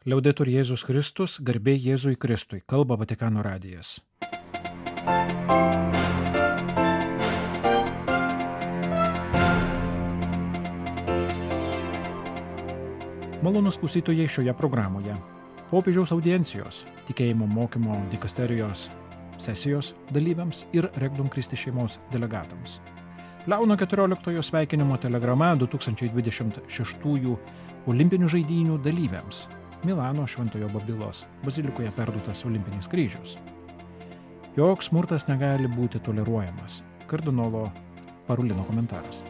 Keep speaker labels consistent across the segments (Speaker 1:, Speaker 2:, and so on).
Speaker 1: Liaudetur Jėzus Kristus, garbė Jėzui Kristui, kalba Vatikano radijas. Malonus klausytojai šioje programoje. Popiežiaus audiencijos, tikėjimo mokymo dikasterijos sesijos dalyviams ir Regnum Christi šeimos delegatams. Leono XIV sveikinimo telegrama 2026 olimpinių žaidynių dalyviams. Milano Šventojo Babilos bazilikoje perduotas olimpinis kryžius. Joks smurtas negali būti toleruojamas. Kardinolo Parulino komentaras.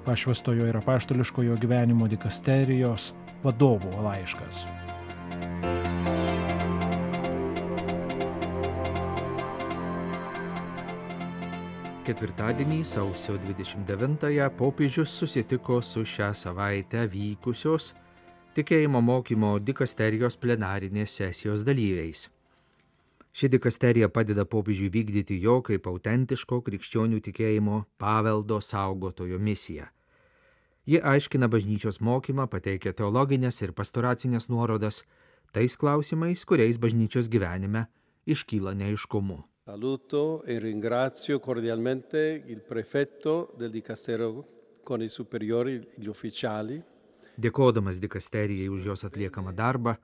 Speaker 1: Pašvęstojo ir apaštališkojo gyvenimo dikasterijos vadovo laiškas.
Speaker 2: Ketvirtadienį, sausio 29-ąją, popiežius susitiko su šią savaitę vykusios tikėjimo mokymo dikasterijos plenarinės sesijos dalyviais. Ši dikasterija padeda popiežiui vykdyti jo kaip autentiško krikščionių tikėjimo paveldo saugotojo misiją. Ji aiškina bažnyčios mokymą, pateikia teologinės ir pastoracinės nuorodas tais klausimais, kuriais bažnyčios gyvenime iškyla neaiškumų.
Speaker 3: Saluto e ringrazio cordialmente il prefetto del dicastero con i superiori, gli ufficiali.
Speaker 2: Dėkodamas dikasterijai už jos atliekamą darbą,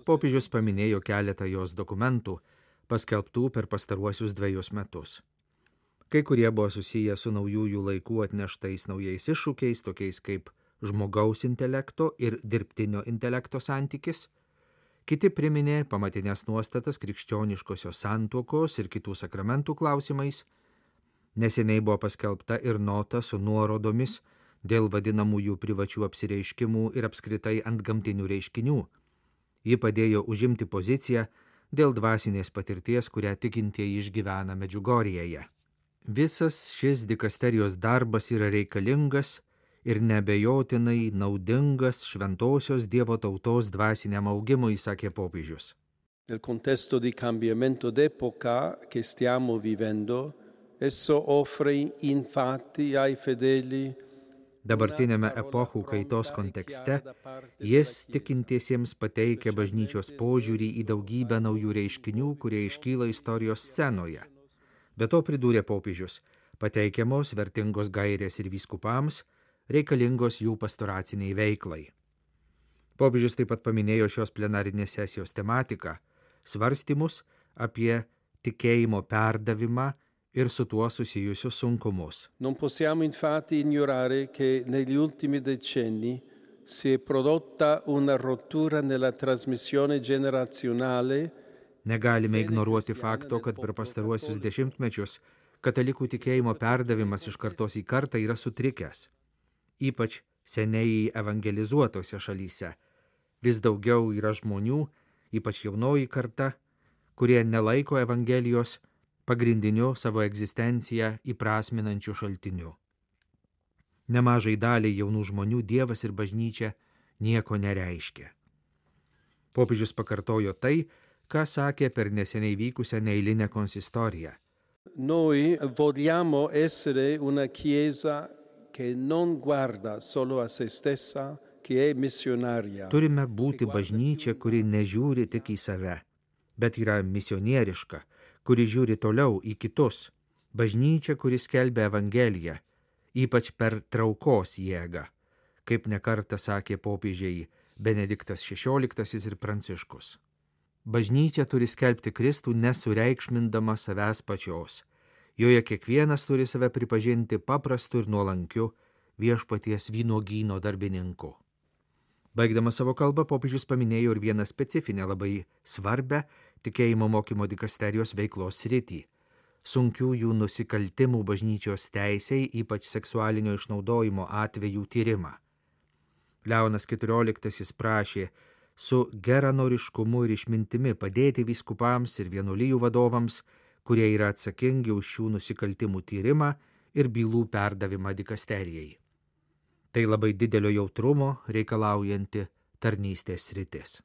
Speaker 2: popiežius paminėjo keletą jos dokumentų, paskelbtų per pastaruosius 2 metus. Kai kurie buvo susiję su naujųjų laikų atneštais naujais iššūkiais, tokiais kaip žmogaus intelekto ir dirbtinio intelekto santykis, kiti priminė pamatinės nuostatas krikščioniškosios santuokos ir kitų sakramentų klausimais. Neseniai buvo paskelbta ir nota su nuorodomis dėl vadinamųjų privačių apsireiškimų ir apskritai antgamtinių reiškinių. Ji padėjo užimti poziciją dėl dvasinės patirties, kurią tikintieji išgyvena Medžiugorjėje. Visas šis dikasterijos darbas yra reikalingas ir neabejotinai naudingas šventosios Dievo tautos dvasiniam augimui, sakė popiežius.
Speaker 3: Nel contesto di cambiamento d'epoca che stiamo vivendo, esso offre infatti ai fedeli.
Speaker 2: Dabartinėme epochų kaitos kontekste jis tikintiesiems pateikia bažnyčios požiūrį į daugybę naujų reiškinių, kurie iškyla istorijos scenoje. Be to, pridūrė popiežius, pateikiamos vertingos gairės ir vyskupams, reikalingos jų pastoraciniai veiklai. Popiežius taip pat paminėjo šios plenarinės sesijos tematiką, svarstymus apie tikėjimo perdavimą ir su tuo susijusius sunkumus.
Speaker 3: Non possiamo infatti ignorare che negli ultimi decenni si è prodotta una rottura nella trasmissione generazionale.
Speaker 2: Negalime ignoruoti fakto, kad per pastaruosius dešimtmečius katalikų tikėjimo perdavimas iš kartos į kartą yra sutrikęs. Ypač seniai evangelizuotose šalyse. Vis daugiau yra žmonių, ypač jaunoji karta, kurie nelaiko evangelijos pagrindiniu savo egzistenciją įprasminančiu šaltiniu. Nemažai daliai jaunų žmonių Dievas ir bažnyčia nieko nereiškia. Popiežius pakartojo tai, ką sakė per neseniai vykusią neeilinę konsistoriją.
Speaker 3: Noi vogliamo essere una chiesa che non guarda solo a se stessa, che è missionaria.
Speaker 2: Turime būti bažnyčia, kuri nežiūri tik į save, bet yra misionieriška, kuri žiūri toliau į kitus. Bažnyčia, kuri skelbia evangeliją, ypač per traukos jėgą, kaip nekartą sakė popiežiai Benediktas XVI ir Pranciškus. Bažnyčia turi skelbti Kristų nesureikšmindama savęs pačios. Joje kiekvienas turi save pripažinti paprastu ir nuolankiu viešpaties vynuogyno darbininku. Baigdamas savo kalbą, popiežius paminėjo ir vieną specifinę labai svarbę tikėjimo mokymo dikasterijos veiklos sritį – sunkiųjų nusikaltimų bažnyčios teisei, ypač seksualinio išnaudojimo atvejų tyrimą. Leonas XIV prašė su geranoriškumu ir išmintimi padėti vyskupams ir vienuolijų vadovams, kurie yra atsakingi už šių nusikaltimų tyrimą ir bylų perdavimą dikasterijai. Tai labai didelio jautrumo reikalaujanti tarnystės sritis.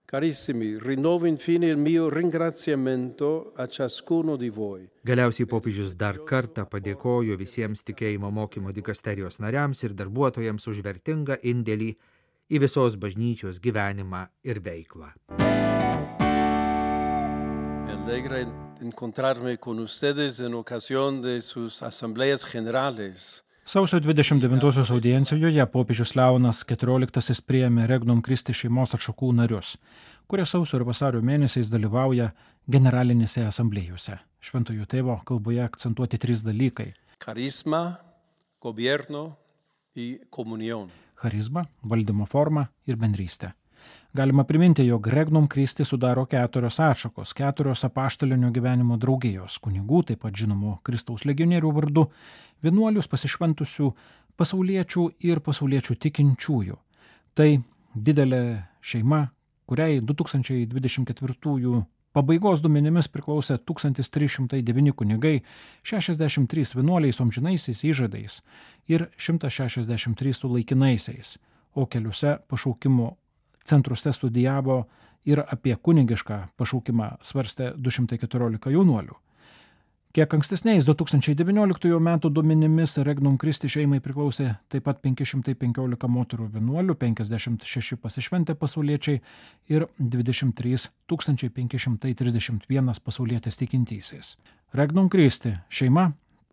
Speaker 3: Carissimi, rinnovo infine il mio ringraziamento a ciascuno di voi.
Speaker 2: Galiausiai popiežius dar kartą padėkojo visiems tikėjimo mokymo dikasterijos nariams ir darbuotojams už vertingą indėlį į visos bažnyčios gyvenimą ir veiklą.
Speaker 3: Me alegra encontrarme con ustedes en ocasión de sus asambleas generales.
Speaker 1: Sausio 29-osios audiencijoje popiežius Leonas XIV priėmė Regnum Christi šeimos atšakų narius, kurie sausio ir vasario mėnesiais dalyvauja generalinėse asamblėjose. Šventojo tėvo kalboje akcentuoti 3 dalykai.
Speaker 3: Carisma, gobierno y comunión.
Speaker 1: Charizma, valdymo forma ir bendrystė. Galima priminti, jog Regnum Christi sudaro 4 atšakos, 4 apaštalinio gyvenimo draugijos, kunigų, taip pat žinomų Kristaus legionierių vardu, vienuolius pasišventusių pasauliečių ir pasauliečių tikinčiųjų. Tai didelė šeima, kuriai 2024 pabaigos duomenimis priklausė 1309 kunigai, 63 vienuoliai su amžinaisiais įžadais ir 163 su laikinaisiais, o keliuose pašaukimų centruose studijavo ir apie kunigišką pašaukimą svarstė 214 jaunuolių. Kiek ankstesniais 2019 metų duomenimis Regnum Christi šeimai priklausė taip pat 515 moterų vienuolių, 56 pasišventę pasauliečiai ir 23 531 pasaulietis tikintysis. Regnum Christi šeima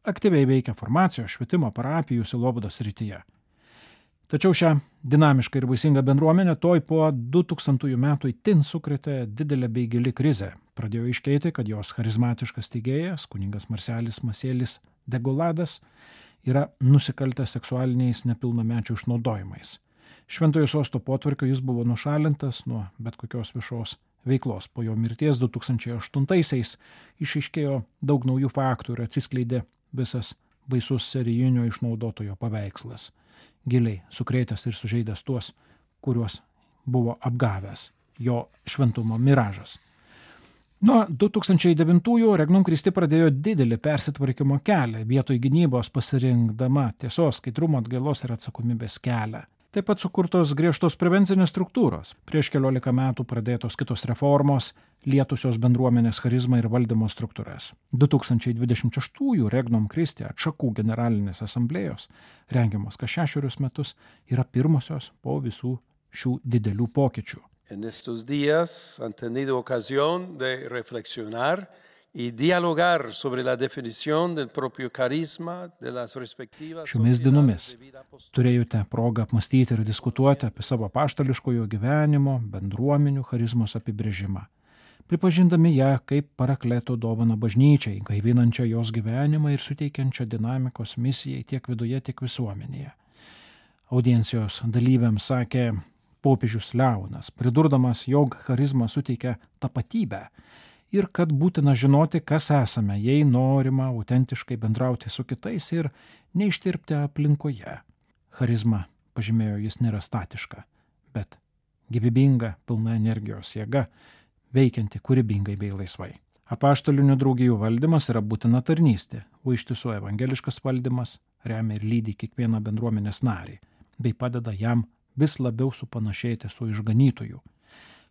Speaker 1: aktyviai veikia formacijos, švietimo, parapijų, sielovados srityje. Tačiau šią dinamišką ir vaisingą bendruomenę toj po 2000 metų itin sukrėtė didelė bei gili krizė. Pradėjo aiškėti, kad jos charizmatiškas steigėjas, kunigas Marselis Masėlis Degoladas, yra nusikaltęs seksualiniais nepilnamečių išnaudojimais. Šventojo sosto potvarkio jis buvo nušalintas nuo bet kokios viešos veiklos. Po jo mirties 2008-aisiais išaiškėjo daug naujų faktų ir atsiskleidė visas baisus serijinio išnaudotojo paveikslas, giliai sukrėtęs ir sužeidęs tuos, kuriuos buvo apgavęs jo šventumo miražas. Nuo 2009-ųjų Regnum Christi pradėjo didelį persitvarkymo kelią, vietoj gynybos pasirinkdama tiesos, skaidrumo, atgailos ir atsakomybės kelią. Taip pat sukurtos griežtos prevencinės struktūros. Prieš 14 metų pradėtos kitos reformos, lietusios bendruomenės charizmą ir valdymo struktūras. 2026 Regnum Christi atšakų generalinės asamblėjos, rengiamos kas 6 metus, yra pirmosios po visų šių didelių pokyčių.
Speaker 3: En estos días han tenido ocasión de reflexionar y dialogar sobre la definición del propio carisma de las respectivas
Speaker 1: Šiomis dienomis turėjote progą apmastyti ir diskutuoti apie savo apaštališkojo gyvenimo, bendruomenių charizmos apibrėžimą, pripažindami ją kaip parakleto dovaną bažnyčiai, gaivinančią jos gyvenimą ir suteikiančią dinamikos misijai tiek viduje, tiek visuomenėje. Audiencijos dalyviams sakė popiežius Leonas, pridurdamas, jog charizma suteikia tapatybę ir kad būtina žinoti, kas esame, jei norima autentiškai bendrauti su kitais ir neištirpti aplinkoje. Charizma, pažymėjo jis, nėra statiška, bet gyvybinga, pilna energijos jėga, veikianti kūrybingai bei laisvai. Apaštalinių draugijų valdymas yra būtina tarnystė, o iš tiesų evangeliškas valdymas remia ir lydi kiekvieną bendruomenės narį, bei padeda jam vis labiau supanašėti su išganytoju.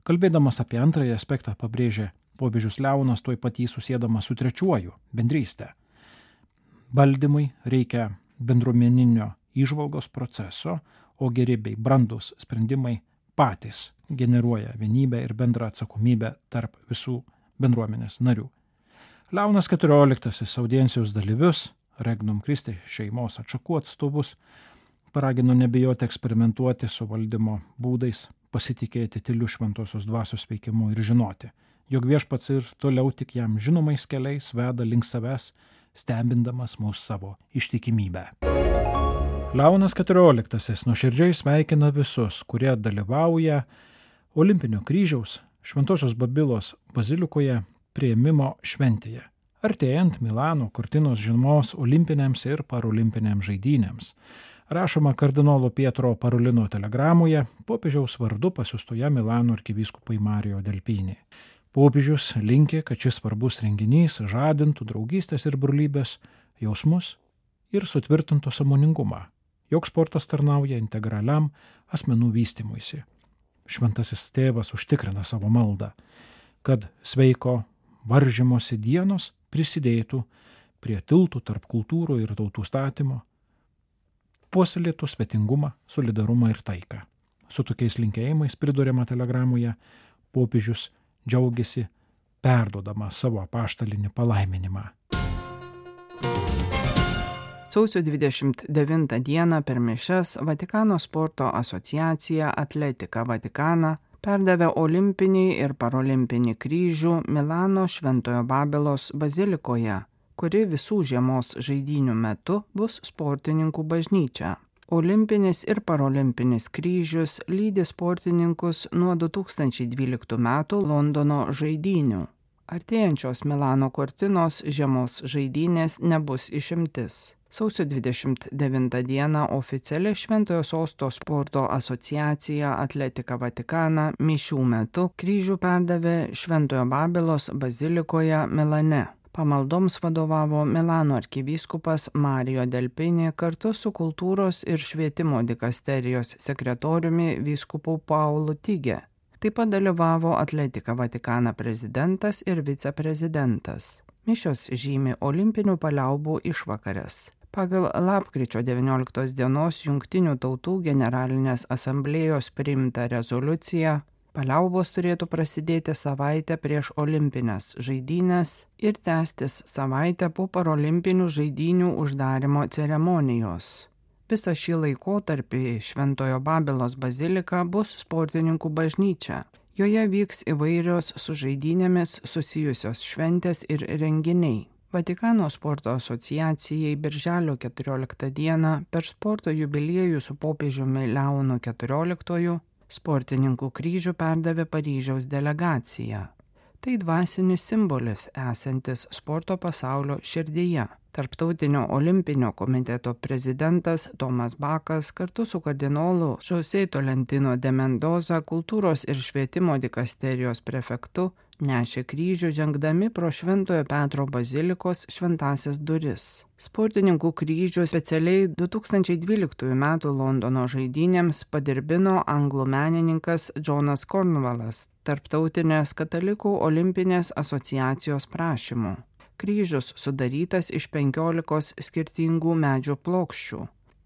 Speaker 1: Kalbėdamas apie antrąjį aspektą pabrėžė popiežius Leonas, tuoj pat jį susėdamas su trečiuoju – bendrystė. Valdymui reikia bendruomeninio įžvalgos proceso, o geri bei brandus sprendimai patys generuoja vienybę ir bendrą atsakomybę tarp visų bendruomenės narių. Leonas XIV audiencijos dalyvius, Regnum Christi šeimos atšakų atstovus, paragino nebijoti eksperimentuoti su valdymo būdais, pasitikėti tyliu šventosios dvasios veikimu ir žinoti, jog viešpats ir toliau tik jam žinomais keliais veda link savęs, stebindamas mūsų savo ištikimybę. Leonas XIV nuoširdžiai sveikina visus, kurie dalyvauja Olimpinio kryžiaus Šventosios Babilos bazilikoje priėmimo šventėje, artėjant Milano Cortinos žiemos olimpinėms ir parolimpinėms žaidynėms. Rašoma kardinolo Pietro Parolino telegramoje popiežiaus vardu pasiųstoje Milano arkivyskupui Mario Delpini. Popiežius linki, kad šis svarbus renginys žadintų draugystės ir brolybės jausmus ir sutvirtintų sąmoningumą, jog sportas tarnauja integraliam asmenų vystymuisi. Šventasis tėvas užtikrina savo maldą, kad sveiko varžymosi dienos prisidėtų prie tiltų tarp kultūrų ir tautų statymo, puoselėtų svetingumą, solidarumą ir taiką. Su tokiais linkėjimais, priduriama telegramoje, popiežius džiaugiasi perdodama savo apaštalinį palaiminimą.
Speaker 4: Sausio 29 dieną per mišias Vatikano sporto asociacija Atletika Vatikana perdavė olimpinį ir parolimpinį kryžių Milano Šventojo Babilos bazilikoje, kuri visų žiemos žaidynių metu bus sportininkų bažnyčia. Olimpinis ir parolimpinis kryžius lydi sportininkus nuo 2012 metų Londono žaidynių. Artėjančios Milano Cortinos žiemos žaidynės nebus išimtis. Sausio 29 dieną oficiali Šventojo Sosto sporto asociacija Atletika Vatikana mišių metu kryžių perdavė Šventojo Babilos bazilikoje Milane. Pamaldoms vadovavo Milano arkivyskupas Mario Delpini kartu su kultūros ir švietimo dikasterijos sekretoriumi vyskupu Paulu Tige. Taip pat dalyvavo Atletika Vatikana prezidentas ir viceprezidentas. Mišios žymi olimpinių paliaubų išvakares. Pagal lapkričio 19 dienos Jungtinių tautų generalinės asamblėjos priimtą rezoliuciją, paliaubos turėtų prasidėti savaitę prieš olimpines žaidynes ir tęstis savaitę po parolimpinių žaidynių uždarimo ceremonijos. Visą šį laikotarpį Šventojo Babilos bazilika bus sportininkų bažnyčia. Joje vyks įvairios su žaidynėmis susijusios šventės ir renginiai. Vatikano sporto asociacijai birželio 14 dieną per sporto jubiliejų su popiežiumi Leonu XIV sportininkų kryžių perdavė Paryžiaus delegacija. Tai dvasinis simbolis esantis sporto pasaulio širdyje. Tarptautinio olimpinio komiteto prezidentas Tomas Bakas kartu su kardinolu José Tolentino de Mendoza kultūros ir švietimo dikasterijos prefektu nešė kryžių žengdami pro Šventojo Petro bazilikos šventąsias duris. Sportininkų kryžių specialiai 2012 m. Londono žaidynėms padirbino anglų menininkas Jonas Cornwallas Tarptautinės katalikų olimpinės asociacijos prašymu. Kryžius sudarytas iš 15 skirtingų medžio plokščių.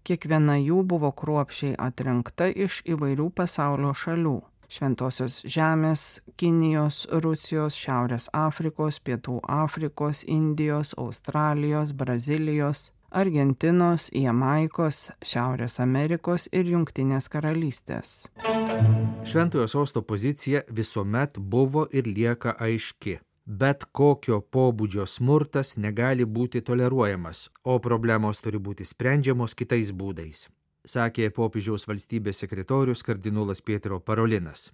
Speaker 4: Kiekviena jų buvo kruopščiai atrinkta iš įvairių pasaulio šalių. Šventosios žemės, Kinijos, Rusijos, Šiaurės Afrikos, Pietų Afrikos, Indijos, Australijos, Brazilijos, Argentinos, Jamaikos, Šiaurės Amerikos ir Jungtinės karalystės.
Speaker 2: Šventojo Sosto pozicija visuomet buvo ir lieka aiški. Bet kokio pobūdžio smurtas negali būti toleruojamas, o problemos turi būti sprendžiamos kitais būdais, sakė popiežiaus valstybės sekretorius kardinolas Pietro Parolinas.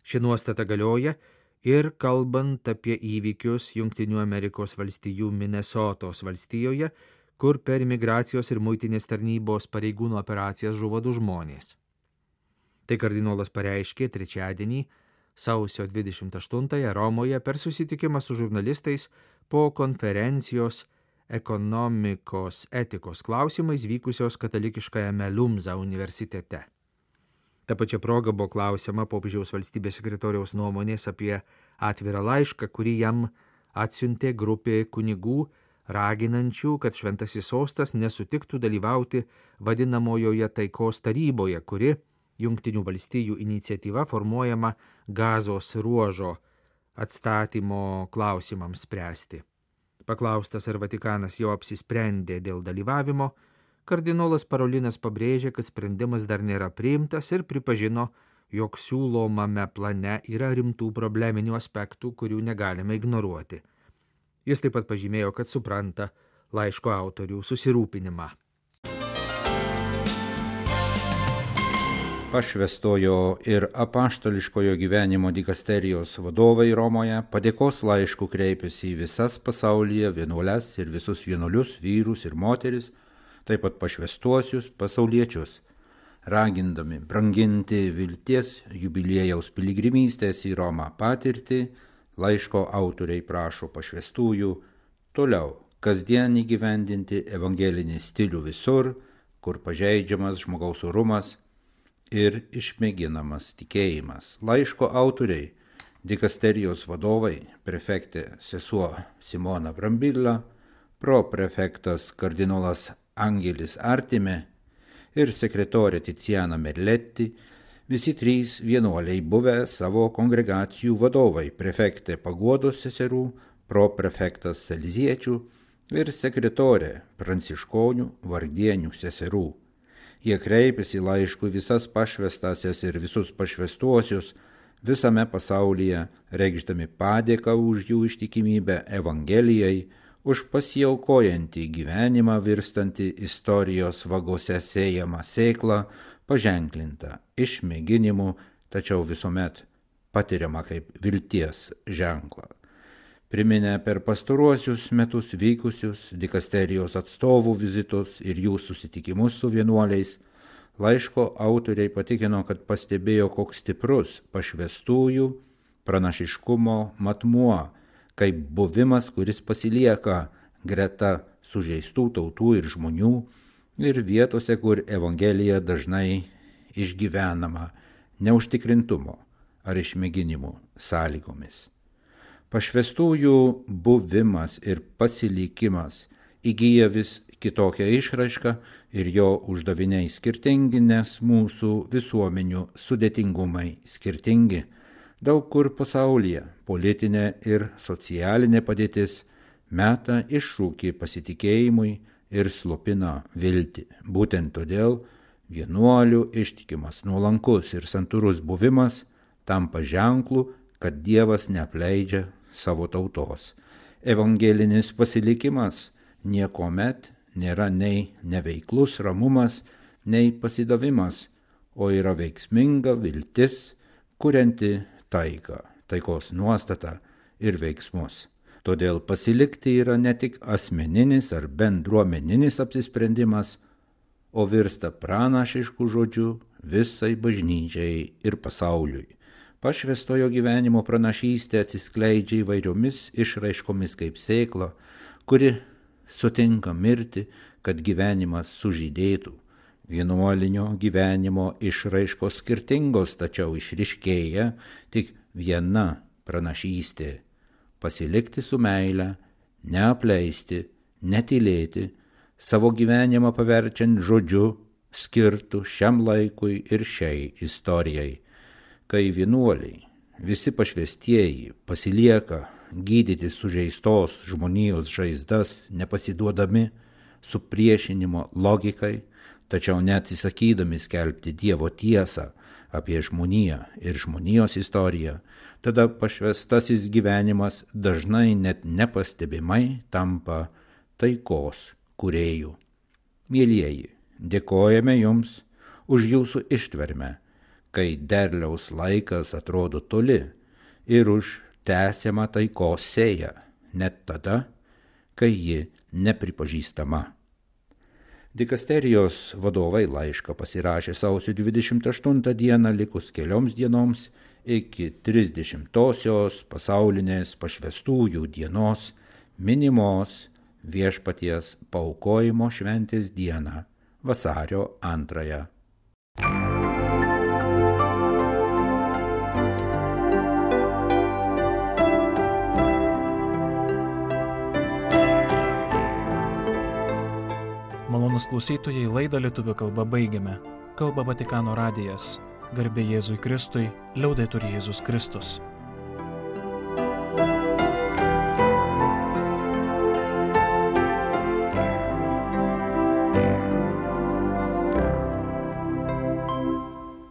Speaker 2: Ši nuostata galioja ir kalbant apie įvykius Jungtinių Amerikos valstijų Minesotos valstijoje, kur per migracijos ir muitinės tarnybos pareigūnų operacijas žuvo 2 žmonės. Tai kardinolas pareiškė trečiadienį, sausio 28 Romoje per susitikimą su žurnalistais po konferencijos ekonomikos etikos klausimais vykusios katalikiškajame Lumza universitete. Ta pačia proga buvo klausima popiežiaus valstybės sekretoriaus nuomonės apie atvirą laišką, kurį jam atsiuntė grupė kunigų, raginančių, kad Šventasis Sostas nesutiktų dalyvauti vadinamojoje taikos taryboje, kuri Jungtinių valstijų iniciatyva formuojama Gazos ruožo atstatymo klausimams spręsti. Paklaustas, ar Vatikanas jau apsisprendė dėl dalyvavimo, kardinolas Parolinas pabrėžė, kad sprendimas dar nėra priimtas ir pripažino, jog siūlomame plane yra rimtų probleminių aspektų, kurių negalime ignoruoti. Jis taip pat pažymėjo, kad supranta laiško autorių susirūpinimą.
Speaker 5: Pašvestojo ir apaštališkojo gyvenimo dikasterijos vadovai Romoje padėkos laišku kreipėsi į visas pasaulyje vienuoles ir visus vienuolius, vyrus ir moteris, taip pat pašvestuosius pasauliečius, ragindami branginti vilties jubiliejaus piligrimystės į Romą patirtį. Laiško autoriai prašo pašvestųjų toliau kasdien įgyvendinti evangelinį stilių visur, kur pažeidžiamas žmogaus orumas ir išmėginamas tikėjimas. Laiško autoriai, dikasterijos vadovai, prefektė sesuo Simona Brambilla, proprefektas kardinolas Angelis Artime ir sekretorė Tiziana Merletti, Visi trys vienuoliai buvę savo kongregacijų vadovai, prefektė Paguodos seserų, proprefektas Saleziečių ir sekretorė pranciškonių vargdienių seserų. Jie kreipėsi laišku visas pašvestasias ir visus pašvestuosius visame pasaulyje, reikšdami padėką už jų ištikimybę Evangelijai, už pasiaukojantį gyvenimą virstantį istorijos vagose sėjamą sėklą, paženklintą išmėginimų, tačiau visuomet patiriama kaip vilties ženklą. Priminę per pastaruosius metus vykusius dikasterijos atstovų vizitus ir jų susitikimus su vienuoliais, laiško autoriai patikino, kad pastebėjo, koks stiprus pašvestųjų pranašiškumo matmuo, kaip buvimas, kuris pasilieka greta sužeistų tautų ir žmonių ir vietose, kur Evangelija dažnai išgyvenama neužtikrintumo ar išmėginimų sąlygomis. Pašvestųjų buvimas ir pasilikimas įgyja vis kitokią išraišką ir jo uždaviniai skirtingi, nes mūsų visuomenių sudėtingumai skirtingi. Daug kur pasaulyje politinė ir socialinė padėtis meta iššūkį pasitikėjimui ir slopina viltį. Būtent todėl vienuolių ištikimas, nuolankus ir santūrus buvimas tampa ženklu, kad Dievas neapleidžia savo tautos. Evangelinis pasilikimas niekuomet nėra nei neveiklus ramumas, nei pasidavimas, o yra veiksminga viltis, kurianti taiką, taikos nuostatą ir veiksmus. Todėl pasilikti yra ne tik asmeninis ar bendruomeninis apsisprendimas, o virsta pranašišku žodžiu visai bažnyčiai ir pasauliui. Pašvestojo gyvenimo pranašystė atsiskleidžia įvairiomis išraiškomis kaip sėkla, kuri sutinka mirti, kad gyvenimas sužydėtų. Vienuolinio gyvenimo išraiškos skirtingos, tačiau išryškėja tik viena pranašystė – pasilikti su meile, neapleisti, netylėti, savo gyvenimą paverčiant žodžiu, skirtų šiam laikui ir šiai istorijai. Kai vienuoliai, visi pašvestieji, pasilieka gydyti sužeistos žmonijos žaizdas, nepasiduodami supriešinimo logikai, tačiau neatsisakydami skelbti Dievo tiesą apie žmoniją ir žmonijos istoriją, tada pašvestasis gyvenimas dažnai net nepastebimai tampa taikos kūrėjų. Mielieji, dėkojame Jums už Jūsų ištvermę, kai derliaus laikas atrodo toli, ir už tęsiamą taikos sėją, net tada, kai ji nepripažįstama. Dikasterijos vadovai laišką pasirašė sausio 28 dieną likus kelioms dienoms iki 30-osios pasaulinės pašvestųjų dienos minimos Viešpaties paaukojimo šventės dieną, vasario 2.
Speaker 1: Malonūs klausytojai, laidą lietuvių kalba baigiame. Kalba Vatikano radijas. Garbė Jėzui Kristui, liaudetur Jėzus Kristus.